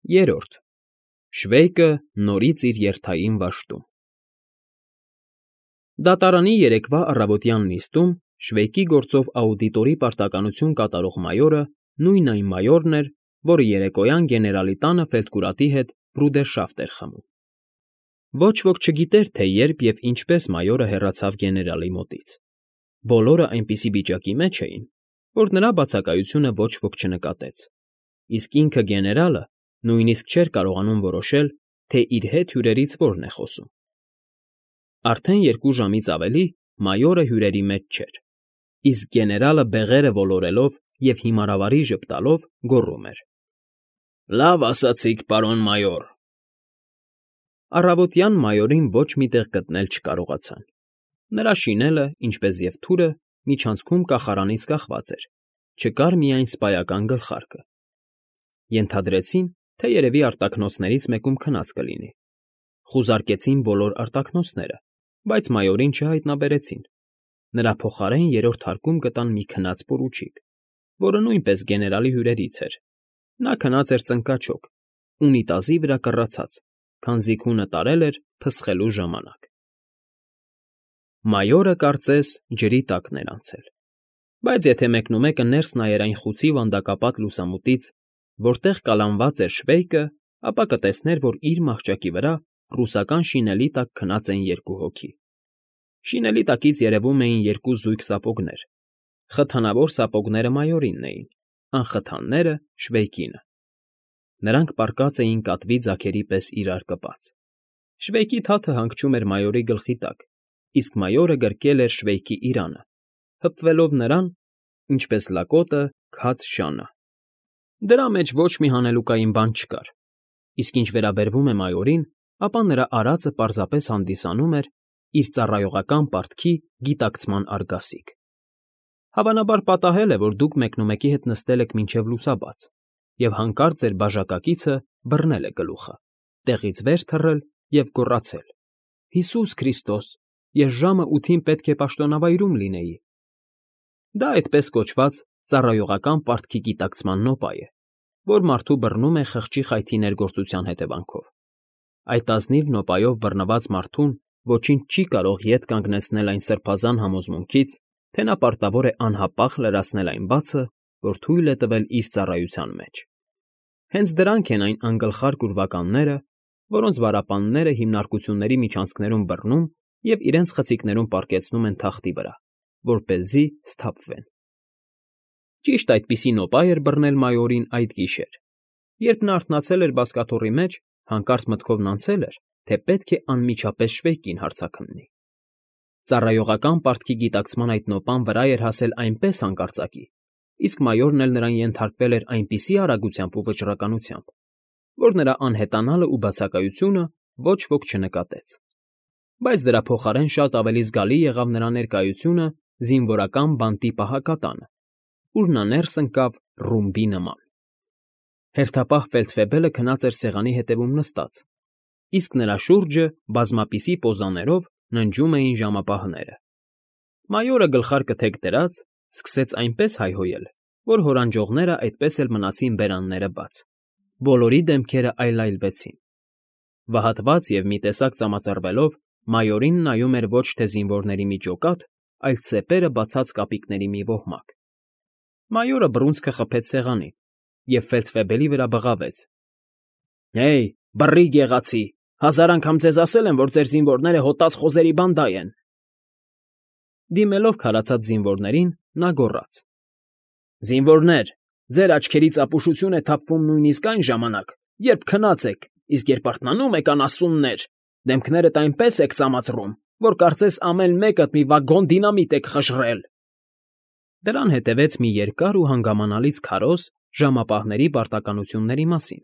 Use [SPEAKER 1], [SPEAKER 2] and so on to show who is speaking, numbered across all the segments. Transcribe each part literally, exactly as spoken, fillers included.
[SPEAKER 1] Երրորդ Շվեյկը նորից իր երթային վաշտում։ Դատարանի երեկվա առավոտյան նիստում Շվեյկի գործով աուդիտորի պարտականություն կատարող մայորը նույն այն մայորն էր, որը երեկոյան գեներալի տանը ֆելդկուրատի հետ բրուդերշաֆտ էր խմում։ Ոչ ոք չգիտեր, թե երբ և ինչպես մայորը հեռացավ գեներալի մոտից։ Բոլորը այնպիսի վիճակի մեջ էին, որ նրա բացակայությունը ոչ ոք չնկատեց, իսկ ինքը գեներալը նույնիսկ չէր կարողանում որոշել, թե իր հետ հյուրերից որն է խոսում։ Արդեն երկու ժամից ավելի մայորը հյուրերի մեջ չէր, իսկ գեներալը բեղերը ոլորելով և հիմարավարի ժպտալով գոռում էր. «Լավ ասացիք, պարոն մայոր»։ Առավոտյան մայորին ոչ մի տեղ գտնել չկարողացան։ Նրա շինելը, ինչպես և թուրը, միջանցքում կախարանից կախված էր, չկար միայն սպայական գլխարկը։ Ենթադրեցին, թե երևի արտաքնոցներից մեկում քնած կլինի։ Խուզարկեցին բոլոր արտաքնոցները, բայց մայորին չհայտնաբերեցին։ Նրա փոխարեն երրորդ հարկում գտան մի քնած պորուչիկ, որը նույնպես գեներալի հյուրերից էր։ Նա քնած էր ծնկաչոք, ունիտազի վրա կռացած, քանզի քունը տարել էր փսխելու ժամանակ։ Մայորը, կարծես, ջրի տակն էր անցել։ Բայց եթե մեկնումեկը ներս նայեր այն խուցի վանդակապատ լուսամուտից, որտեղ կալանված էր Շվեյկը, ապա կտեսներ, որ իր մահճակի վրա ռուսական շինելի տակ քնած են երկու հոգի։ Շինելի տակից երևում էին երկու զույգ սապոգներ։ Խթանավոր սապոգները մայորինն էին, անխթանները՝ Շվեյկինը։ Նրանք պառկած էին կատվի ձագերի պես իրար կպած։ Շվեյկի թաթը հանգչում էր մայորի գլխի տակ, իսկ մայորը գրկել էր Շվեյկի իրանը, հպվելով նրան, ինչպես լակոտը քաց շանը։ Դրա մեջ ոչ մի հանելուկային բան չկար, իսկ ինչ վերաբերվում է մայորին, ապա նրա արածը պարզապես հանդիսանում էր իր ծառայողական պարտքի գիտակցման արգասիք։ Հավանաբար պատահել է, որ դուք մեկնումեկի հետ նստել եք մինչև լուսաբաց, և հանկարծ ձեր բաժակակիցը բռնել է գլուխը, տեղից վեր թռել և գոռացել. «Հիսուս Քրիստոս, ես ժամը ութին պետք է պաշտոնավայրում լինեի»։ Դա այդպես կոչված ծառայողական պարտքի գիտակցման նոպա է, որ մարդու բռնում է խղճի խայթի ներգործության հետևանքով։ Այդ ազնիվ նոպայով բռնված մարդուն ոչինչ չի կարող ետ կանգնեցնել այն սրբազան համոզմունքից, թե նա պարտավոր է անհապաղ լրացնել այն բացը, որ թույլ է տվել իր ծառայության մեջ։ Հենց դրանք են այն անգլխարկ ուրվականները, որոնց վարապանները հիմնարկությունների միջանցքներում բռնում և իրենց խցիկներում պառկեցնում են թախտի վրա, որպեսզի սթափվեն։ Ճիշտ այդպիսի նոպա էր բռնել մայորին այդ գիշեր։ Երբ նա արթնացել էր բազկաթոռի մեջ, հանկարծ մտքովն անցել էր, թե պետք է անմիջապես Շվեյկին հարցաքննի։ Ծառայողական պարտքի գիտակցման այդ նոպան վրա էր հասել այնպես հանկարծակի, իսկ մայորն էլ նրան ենթարկվել էր այնպիսի արագությամբ ու վճռականությամբ, որ նրա անհետանալը ու բացակայությունը ոչ ոք չնկատեց։ Բայց դրա փոխարեն շատ ավելի զգալի եղավ նրա ներկայությունը զինվորական բանտի պահակատանը, ուր նա ներս ընկավ ռումբի նման։ Հերթապահ ֆելդֆեբելը քնած էր սեղանի հետևում նստած, իսկ նրա շուրջը բազմապիսի պոզաներով ննջում էին ժամապահները։ Մայորը գլխարկը թեք դրած, սկսեց այնպես հայհոյել, որ հորանջողները այդպես էլ մնացին բերանները բաց։ Բոլորի դեմքերը այլայլվեցին։ Վհատված և մի տեսակ ծամածռվելով, մայորին նայում էր ոչ թե զինվորների մի ջոկատ, այլ ծեպերը բացած կապիկների մի ոհմակ։ Մայորը բռունցքը խփեց սեղանին և ֆելդֆեբելի վրա բղավեց. «Հեյ, բռիկ եղացի, հազար անգամ ձեզ ասել եմ, որ ձեր զինվորները հոտած խոզերի բանդա են»։ Դիմելով քարացած զինվորներին, նա գոռաց. «Զինվորներ, ձեր աչքերից ապուշություն է թափվում նույնիսկ այն ժամանակ, երբ քնած եք, իսկ երբ արթնանում եք, անասուններ, դեմքներդ այնպես եք ծամածռում, որ կարծես ամեն մեկդ մի վագոն դինամիտ եք խժռել»։ Դրան հետևեց մի երկար ու հանգամանալից քարոզ ժամապահների պարտականությունների մասին,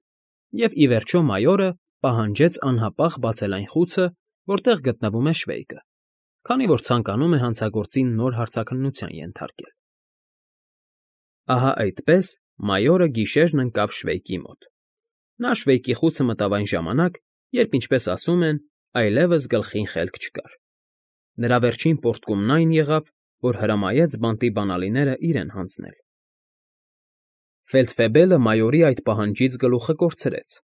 [SPEAKER 1] և, ի վերջո, մայորը պահանջեց անհապաղ բացել այն խուցը, որտեղ գտնվում է Շվեյկը, քանի որ ցանկանում է հանցագործին նոր հարցաքննության ենթարկել։ Ահա այդպես մայորը գիշերն ընկավ Շվեյկի մոտ։ Նա Շվեյկի խուցը մտավ այն ժամանակ, երբ, ինչպես ասում են, այլևս գլխին խելք չկար։ Նրա վերջին պոռթկումն այն եղավ, որ հրամայեց բանտի բանալիները իրեն հանձնել։ Ֆելդֆեբելը մայորի այդ պահանջից գլուխը կորցրեց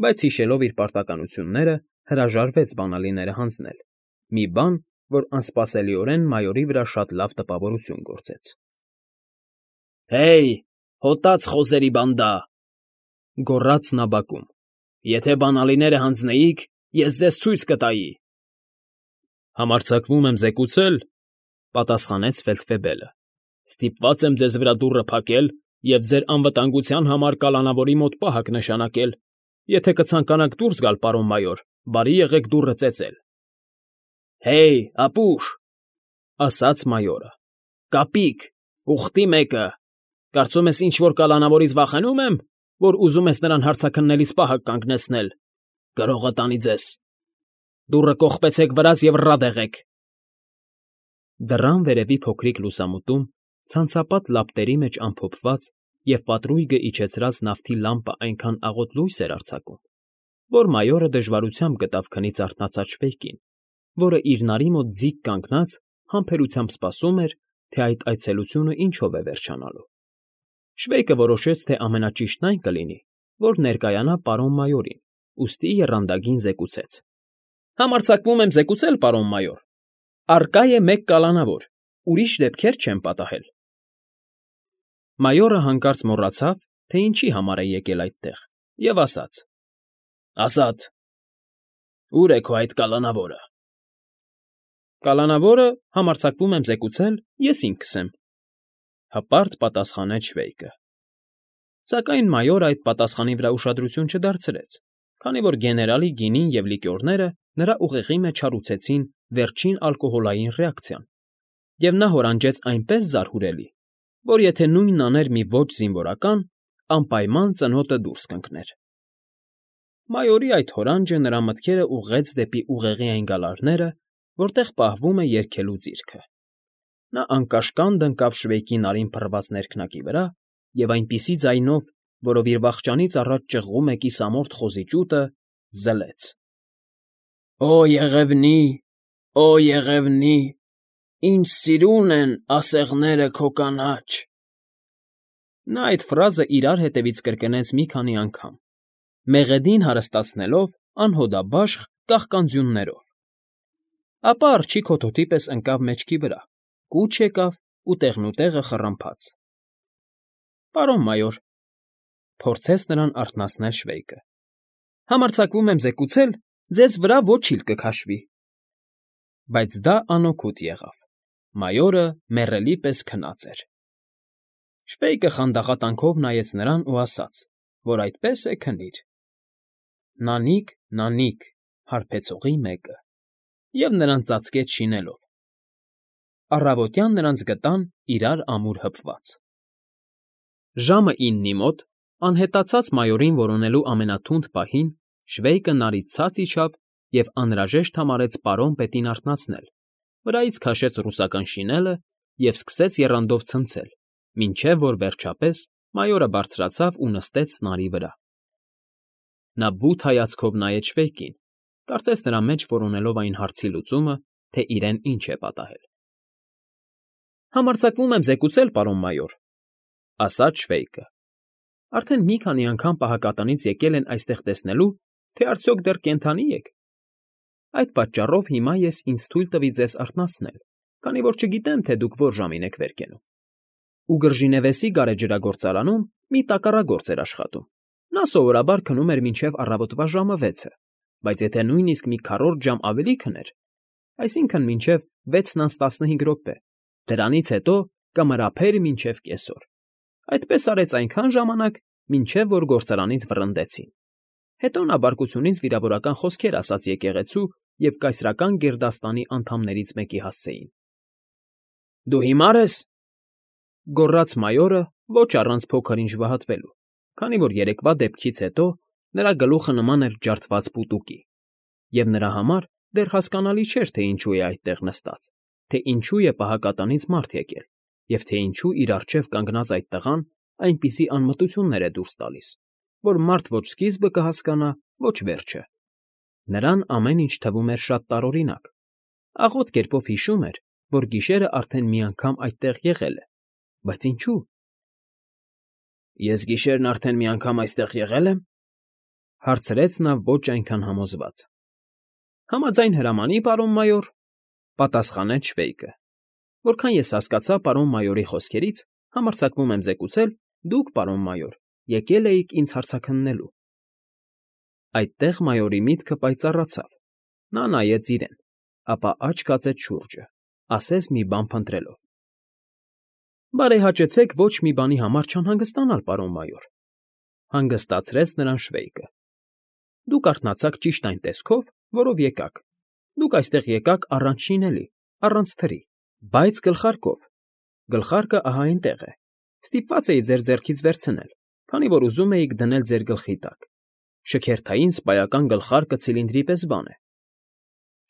[SPEAKER 1] բայց հիշելով իր պարտականությունները, հրաժարվեց բանալիները հանձնել, մի բան, որ անսպասելիորեն մայորի վրա շատ լավ տպավորություն գործեց։ ֊ Հեյ, հոտած խոզերի բանդա,֊ գոռաց նա բակում,֊ եթե բանալիները հանձնեիք, ես ձեզ ցույց կտայի։ ֊ Համարձակվում եմ զեկուցել,֊ պատասխանեց ֆելդֆեբելը,֊ ստիպված եմ ձեզ վրա դուռը փակել և ձեր անվտանգության համար կալանավորի մոտ պահակ նշանակել, եթե կցանկանաք դուրս գալ, պարոն մայոր, բարի եղեք դուռը ծեծել։ ֊ Հեյ, ապուշ,֊ ասաց մայորը,֊ կապիկ, ուխտի մեկը, կարծում ես ինչ֊որ կալանավորից վախենու՞մ եմ, որ ուզում ես նրան հարցաքննելիս պահակ կանգնեցնել, գրողը տանի ձեզ… Դուռը կողպեցեք վրաս և ռատ եղեք… Դռան վերևի փոքրիկ լուսամուտում, ցանցապատ լապտերի մեջ ամփոփված և պատրույգը իջեցրած նավթի լամպը այնքան աղոտ լույս էր արձակում, որ մայորը դժվարությամբ գտավ քնից արթնացած շվեյկին, որը իր նարի մոտ ձիգ կանգնած համբերությամբ սպասում էր, թե այդ այցելությունը ինչով է վերջանալու։ Շվեյկը որոշեց, թե ամենաճիշտն այն կլինի, որ ներկայանա պարոն մայորին, ուստի եռանդագին զեկուցեց. ֊ Համարձակվում եմ զեկուցել, պարոն մայոր, առկա է մեկ կալանավոր, ուրիշ դեպքեր չեմ պատահել։ Մայորը հանկարծ մոռացավ, թե ինչի համար է եկել այդտեղ, և ասաց. ֊ Ազատ, ո՞ւր է քո այդ կալանավորը։ ֊ Կալանավորը, համարձակվում եմ զեկուցել, ես ինքս եմ,֊ հպարտ պատասխանեց շվեյկը։ Սակայն մայորը այդ պատասխանի վրա ուշադրություն չդարձրեց, քանի որ գեներալի գինին և լիկյորները նրա ուղեղի մեջ հարուցեցին վերջին ալկոհոլային ռեակցիան, և նա հորանջեց այնպես զարհուրելի, որ եթե նույնն աներ մի ոչ զինվորական, անպայման ծնոտը դուրս կընկներ։ Մայորի այդ հորանջը նրա մտքերը ուղղեց դեպի ուղեղի այն գալարները, որտեղ պահվում է երգելու ձիրքը։ Նա անկաշկանդ ընկավ շվեյկի նարին փռված ներքնակի վրա և այնպիսի ձայնով, որով իր վախճանից առաջ ճղղում է կիսամորթ խոզի ճուտը, զլեց. «Օ եղևնի, օ եղևնի, ինչ սիրուն են ասեղները քո կանաչ»։ Նա այդ ֆրազը իրար հետևից կրկնեց մի քանի անգամ, մեղեդին հարստացնելով անհոդաբաշխ կաղկանձյուններով, ապա արջի քոթոթի պես ընկավ մեջքի վրա, կուչ եկավ ու տեղնուտեղը խռմփաց։ ֊ Պարոն մայոր,֊ փորձեց նրան արթնացնել շվեյկը,֊ համարձակվում եմ զեկուցել, ձեզ վրա ոչիլ կքաշվի։ Բայց դա անօգուտ եղավ, մայորը մեռելի պես քնած էր։ Շվեյկը խանդաղատանքով նայեց նրան ու ասաց, որ այդպես է քնիր։ Նանիք, նանիք, հարբեցողի մեկը, և նրան ծածկեց շինելով։ Առավոտյան նրանց գտան իրար ամուր հպված։ Ժամը իննի մոտ, անհետացած մայորին որոնելու ամենաթունդ պահին, շվեյկը նարից ցած իջավ և անհրաժեշտ համարեց պարոն պետին արթնացնել, վրայից քաշեց ռուսական շինելը և սկսեց եռանդով ցնցել, մինչև որ, վերջապես, մայորը բարձրացավ ու նստեց նարի վրա։ Նա բութ հայացքով նայեց շվեյկին, կարծես նրա մեջ որոնելով այն հարցի լուծումը, թե իրեն ինչ է պատահել։ ֊ Համարձակվում եմ զեկուցել, պարոն մայոր,֊ ասաց շվեյկը,֊ արդեն մի քանի անգամ պահակատնից եկել են այստեղ տեսնելու, թե արդյոք դեռ կենդանի եք։ Այդ պատճառով հիմա ես ինձ թույլ տվի ձեզ արթնացնել, քանի որ չգիտեմ, թե դուք ո՞ր ժամին եք վեր կենում։ Ուգրժինևեսի գարեջրագործարանում մի տակառագործ էր աշխատում։ Նա սովորաբար քնում էր մինչև առավոտվա ժամը վեցը, բայց եթե նույնիսկ մի քառորդ ժամ ավելի քներ, այսինքն՝ մինչև վեցն անց տասնհինգ րոպե, դրանից հետո կմռափեր մինչև կեսօր։ Այդպես արեց այնքան ժամանակ, մինչև որ գործարանից վռնդեցին։ Հետո նա բարկությունից վիրավորական խոսքեր ասաց եկեղեցու և կայսրական գերդաստանի անդամներից մեկի հասցեին։ ֊ Դու հիմա՞ր ես,֊ գոռաց մայորը ոչ առանց փոքր-ինչ վհատվելու, քանի որ երեկվա դեպքից հետո նրա գլուխը նման էր ջարդված պուտուկի, և նրա համար դեռ հասկանալի չէր, թե ինչու է այդտեղ նստած, թե ինչու է պահակատնից մարդ եկել և թե ինչու իր առջև կանգնած այդ տղան այնպիսի անմտություններ է դուրս տալիս, որ մարդ ոչ սկիզբը կհասկանա, ոչ վերջը։ Նրան ամեն ինչ թվում էր շատ տարօրինակ, աղոտ կերպով հիշում էր, որ գիշերը արդեն մի անգամ այդտեղ եղել է, բայց ինչու՞։ Ես գիշերն արդեն մի անգամ այստեղ եղե՞լ եմ,֊ Հարցրեց նա ոչ այնքան համոզված։ Համաձայն հրամանի, պարոն մայոր, պատասխանեց Շվեյկը։ Որքան ես հասկացա պարոն մայորի խոսքերից, համարձակվում եմ զեկուցել, դուք, պարոն մայոր, եկել էիք ինձ հարցաքննելու։ Այդտեղ մայորի միտքը պայծառացավ։ Նա նայեց իրեն, ապա աչք կացեց շուրջը, ասես մի բան փնտրելով։ Բարեհաճեցեք ոչ մի բանի համար չանհանգստանալ, պարոն մայոր, հանգստացրեց նրան Շվեյկը։ Դուք արթնացաք ճիշտ այն տեսքով, որով եկաք։ Դուք այստեղ եկաք առանց շինելի, առանց թրի, բայց գլխարկով։ Գլխարկը ահա այնտեղ է։ Ստիպված էի ձեր ձեռքից վերցնել, քանի որ ուզում էիք դնել ձեր գլխի տակ։ Շքերթային սպայական գլխարկը ցիլինդրի պես բան է։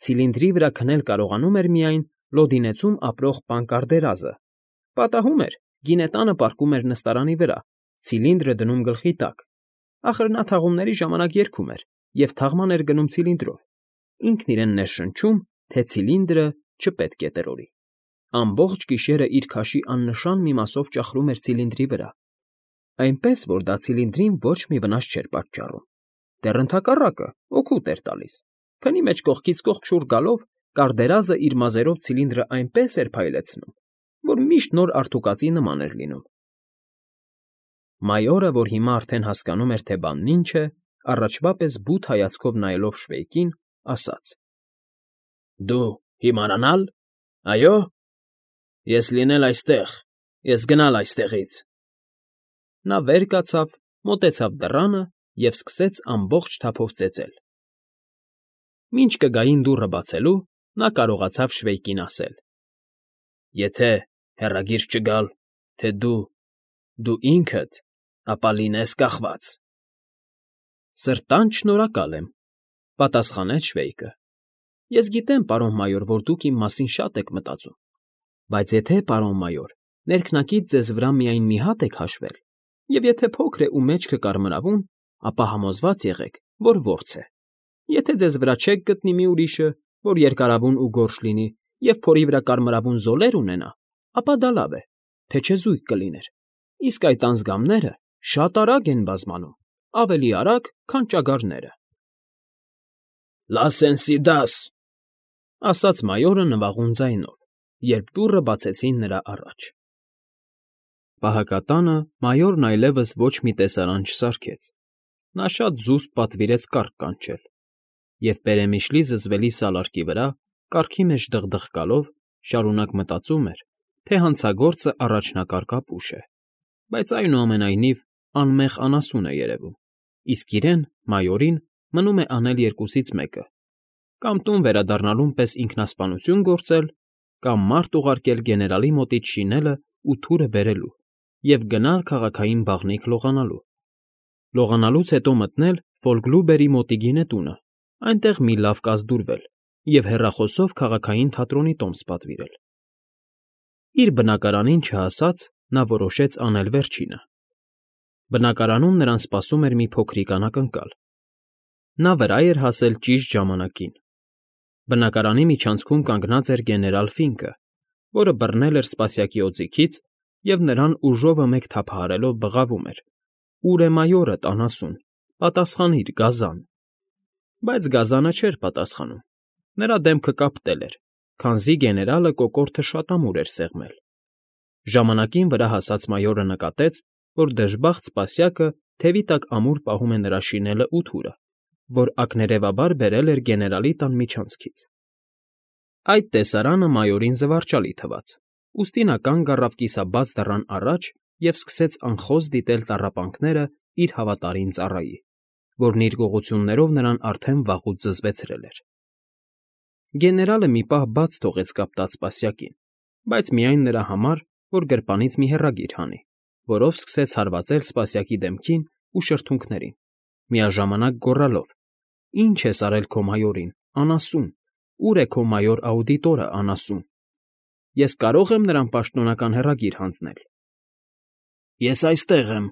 [SPEAKER 1] Ցիլինդրի վրա քնել կարողանում էր միայն Լոդինեցում ապրող պան Կարդերազը։ Պատահում էր, գինետանը պառկում էր նստարանի վրա, ցիլինդրը դնում գլխի տակ։ Ախր նա թաղումների ժամանակ երգում էր և թաղման էր գնում ցիլինդրով։ Ինքն իրեն ներշնչում, թե ցիլինդրը չպետք է տրորի։ Ամբողջ գիշերը իր քաշի աննշան մի մասով ճախրում էր ցիլինդրի վրա, այնպես որ դա ցիլինդրին ոչ մի վնաս չէր պատճառում։ Դեռ ընդհակառակը օգուտ էր տալիս, քանի մեջ կողքից կողք շուռ գալով Կարդերազը իր մազերով ցիլինդրը այնպես էր փայլեցնում, որ միշտ նոր արթուկածի նման էր լինում։ Մայորը, որ հիմա արդեն հասկանում էր, թե բանն ինչ է, առաջվա պես բութ հայացքով նայելով Շվեյկին, ասաց. Դու հիմարանալ, այո, ես լինել այստեղ, ես գնալ այստեղից։ Նա վեր կացավ, մոտեցավ դռանը և սկսեց ամբողջ թափով ծեծել։ Մինչ կգային դուռը բացելու, նա կարողացավ Շվեյկին ասել. Եթե հեռագիր չգալ, թե դու, դու ինքդ, ապա լինես կախված։ Սրտանց շնորհակալ եմ, պատասխանեց Շվեյկը։ Ես գիտեմ, պարոն մայոր, որ դուք իմ մասին շատ եք մտածում, բայց եթե, պարոն մայոր, ներքնակից ձեզ վրա միայն մի հատ եք հաշվել, և եթե փոքր է ու մեջքը կարմրավուն, ապա համոզված եղեք, որ որց է։ Եթե ձեզ վրա չեք գտնի մի ուրիշը, որ երկարավուն ու գորշ լինի, և փորի վրա կարմրավուն զոլեր ունենա, ապա դա լավ է, թե չէ զույգ կլիներ, իսկ այդ անձգամները շատ արագ են բազմանում, ավելի արագ, քան ճագարները։ Լասենսիդաս, ասաց մայորը նվաղուն ձայնով, երբ դուռը բացեցին նրա առաջ։ Պահակատանը մայորն այլևս ոչ մի տեսարան չսարքեց։ Նա շատ զուսպ պատվիրեց կառք կանչել, և պերեմիշլի զզվելի սալարկի վրա, կառքի մեջ դղդղկալով, շարունակ մտածում էր, թե հանցագործը առաջնակարգ ապուշ է, բայց այնուամենայնիվ անմեղ անասուն է երևում, իսկ իրեն, մայորին, մնում է անել երկուսից մեկը. կամ տուն վերադառնալուն պես ինքնասպանություն գործել, կամ մարդ ուղարկել գեներալի մոտից շինելը ու թուրը բերելու և գնալ քաղաքային բաղնիք լողանալու։ Լողանալուց հետո մտնել Ֆոլգլուբերի մոտի գինետունը, այնտեղ մի լավ կազդուրվել և հեռախոսով քաղաքային թատրոնի տոմս պատվիրել։ Իր բնակարանին չհասած, նա որոշեց անել վերջինը։ Բնակարանում նրան սպասում էր մի փոքրիկ անակնկալ։ Նա վրա էր հասել ճիշտ ժամանակին։ Բնակարանի միջանցքում կանգնած էր գեներալ Ֆինկը, որը բռնել էր սպասյակի օձիքից և նրան ուժովը մեկ թափահարելով բղավում էր. «Ո՞ւր է մայորդ, անասուն, պատասխանիր, գազան»։ Բայց գազանը չէր պատասխանում։ Նրա դեմքը կապտել էր, քանզի գեներալը կոկորդը շատ ամուր էր սեղմել։ Ժամանակին վրա հասած մայորը նկատեց, որ դժբախտ սպասյակը թևի տակ ամուր պահում է նրա շինելը ու թուրը, որ ակներևաբար բերել էր գեներալի տան միջանցքից։ Այդ տեսարանը մայորին զվարճալի թվաց, ուստի նա կանգ առավ կիսաբաց դռան առաջ և սկսեց անխոզ դիտել տառապանքները իր հավատարիմ ծառայի, որն իր գողություններով նրան արդեն վաղուց զզվեցրել էր։ Գեներալը մի պահ բաց թողեց կապտած սպասյակին, բայց միայն նրա համար, որ գրպանից մի հեռագիր հանի, որով սկսեց հարվածել սպասյակի դեմքին ու շրթունքներին, միաժամանակ գոռալով. «Ի՞նչ ես արել քո մայորին, անասուն, ո՞ւր է քո մայոր աուդիտորը, անասուն։ Ես կարո՞ղ եմ նրան պաշտոնական հեռագիր հանձնել»։ Ես այստեղ եմ,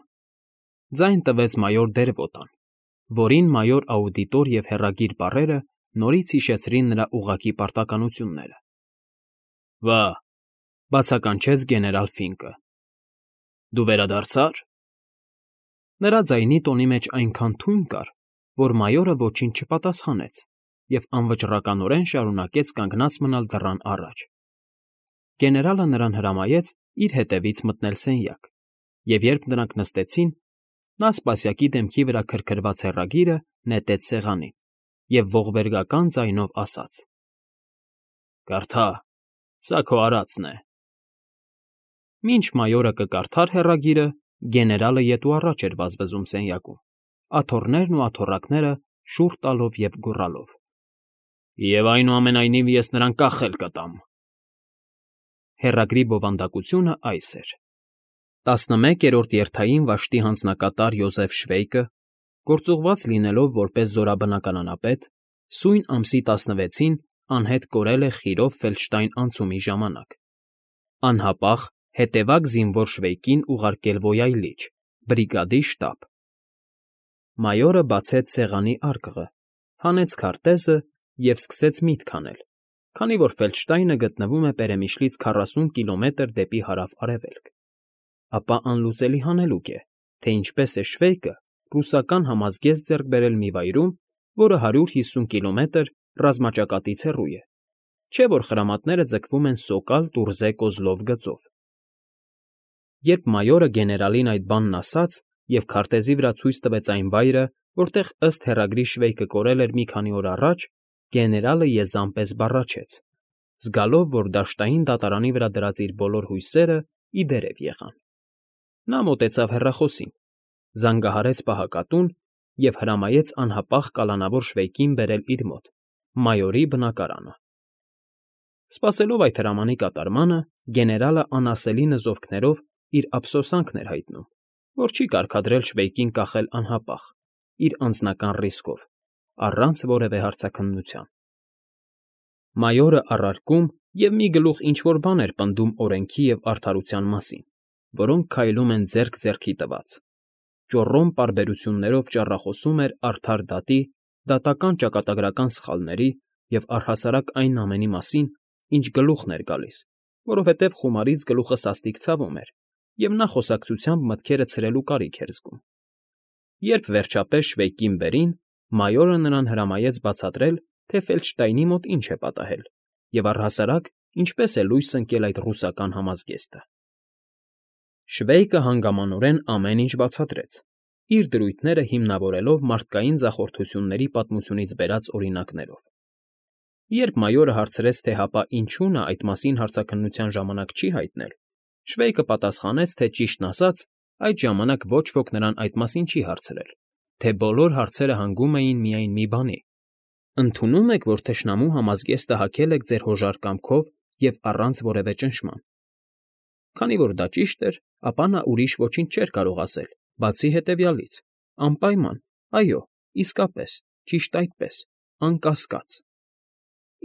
[SPEAKER 1] ձայն տվեց մայոր Դերվոտան, որին մայոր աուդիտոր և հեռագիր բառերը նորից հիշեցրին նրա ուղղակի պարտականությունները։ Վա, բացականչեց գեներալ Ֆինկը։ Դու վերադարձա՞ր։ Նրա ձայնի տոնի մեջ այնքան թույն կար, որ մայորը ոչինչ չպատասխանեց և անվճռականորեն շարունակեց կանգնած մնալ դռան առաջ։ Գեներալը նրան հրամայեց իր հետևից մտնել սենյակ, և երբ նրանք նստեցին, նա սպասյակի դեմքի վրա քրքրված հեռագիրը նետեց սեղանին և ողբերգական ձայնով ասաց. «Կարդա, սա քո արածն է»։ Մինչ մայորը կկարդար հեռագիրը, գեներալը ետ ու առաջ էր վազվզում սենյակում, աթոռներն ու աթոռակները շուռ տալով և գոռալով. «Եվ այնուամենայնիվ ես նրան կախել կտամ»։ Հեռագրի բովանդակությունն այս էր. տասնմեկերորդ երթային վաշտի հանձնակատար Յոզեֆ Շվեյկը, գործուղված լինելով որպես զորաբնակարանապետ, սույն ամսի տասնվեցին անհետ կորել է Խիրով Ֆելդշտայն անցումի ժամանակ։ Անհապաղ հետևակ զինվոր Շվեյկին ուղարկել ոյայլիչ, բրիգադի շտաբ։ Մայորը բացեց սեղանի արկղը, հանեց քարտեզը և սկսեց միտք անել, քանի որ Ֆելդշտայնը գտնվում է Պերեմիշլից քառասուն կիլոմետր դեպի հարավ֊արևելք, ապա անլուծելի հանելուկ է, թե ինչպես է Շվեյկը ռուսական համազգեստ ձեռք բերել մի վայրում, որը հարյուր հիսուն կիլոմետր ռազմաճակատից հեռու է, չէ՞ որ խրամատները ձգվում են Սոկալ֊Տուրզե֊Կոզլով գծով։ Երբ մայորը գեներալին այդ բանն ասաց և քարտեզի վրա ցույց տվեց այն վայրը, որտեղ ըստ հեռագրի Շվեյկը կորել էր մի քանի օր առաջ, գեներալը եզան պես բառաչեց, զգալով, որ դաշտային դատարանի վրա դրած իր բոլոր հույսերը ի դերև եղան։ Նա մոտեցավ հեռախոսին, զանգահարեց պահակատուն և հրամայեց անհապաղ կալանավոր Շվեյկին բերել իր մոտ, մայորի բնակարանը։ Սպասելով այդ հրամանի կատարմանը, գեներալը անասելի նզովքներով իր ափսոսանքն էր հայտնում, որ չի կարգադրել Շվեյկին կախել անհապաղ, իր անձնական ռիսկով, առանց որևէ հարցաքննության։ Մայորը առարկում և մի գլուխ ինչ֊որ բան էր պնդում օրենքի և արդարության մասին, որոնք քայլում են ձեռք ձեռքի տված, ճոռոմ պարբերություններով ճառախոսում էր արդար դատի, դատական ճակատագրական սխալների և առհասարակ այն ամենի մասին, ինչ գլուխն էր գալիս, որովհետև խումարից գլուխը սաստիկ ցավում էր, և նա խոսակցությամբ մտքերը ցրելու կարիք էր զգում։ Երբ վերջապես Շվեյկին բերին, մայորը նրան հրամայեց բացատրել, թե Ֆելդշտայնի մոտ ինչ է պատահել և առհասարակ ինչպես է լույս ընկել այդ ռուսական համազգեստը։ Շվեյկը հանգամանորեն ամեն ինչ բացատրեց, իր դրույթները հիմնավորելով մարդկային ձախորդությունների պատմությունից բերած օրինակներով։ Երբ մայորը հարցրեց, թե հապա ինչու նա այդ մասին հարցաքննության ժամանակ չի հայտնել, Շվեյկը պատասխանեց, թե ճիշտն ասած, այդ ժամանակ ոչ ոք նրան այդ մասին չի հարցրել, թե բոլոր հարցերը հանգում էին միայն մի բանի. ընդունո՞ւմ եք, որ թշնամու համազգեստը հագել եք ձեր հոժար կամքով և առանց որևէ ճնշման։ Քանի որ դա ճիշտ էր, ապա նա ուրիշ ոչինչ չէր կարող ասել, բացի հետևյալից. անպայման, այո, իսկապես, ճիշտ այդպես, անկասկած։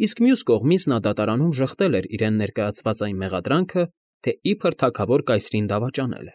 [SPEAKER 1] Իսկ մյուս կողմից նա դատարանում ժխտել էր իրեն ներկայացված այն մեղադրանքը, թե իբր թագավոր կայսրին դավաճանել է։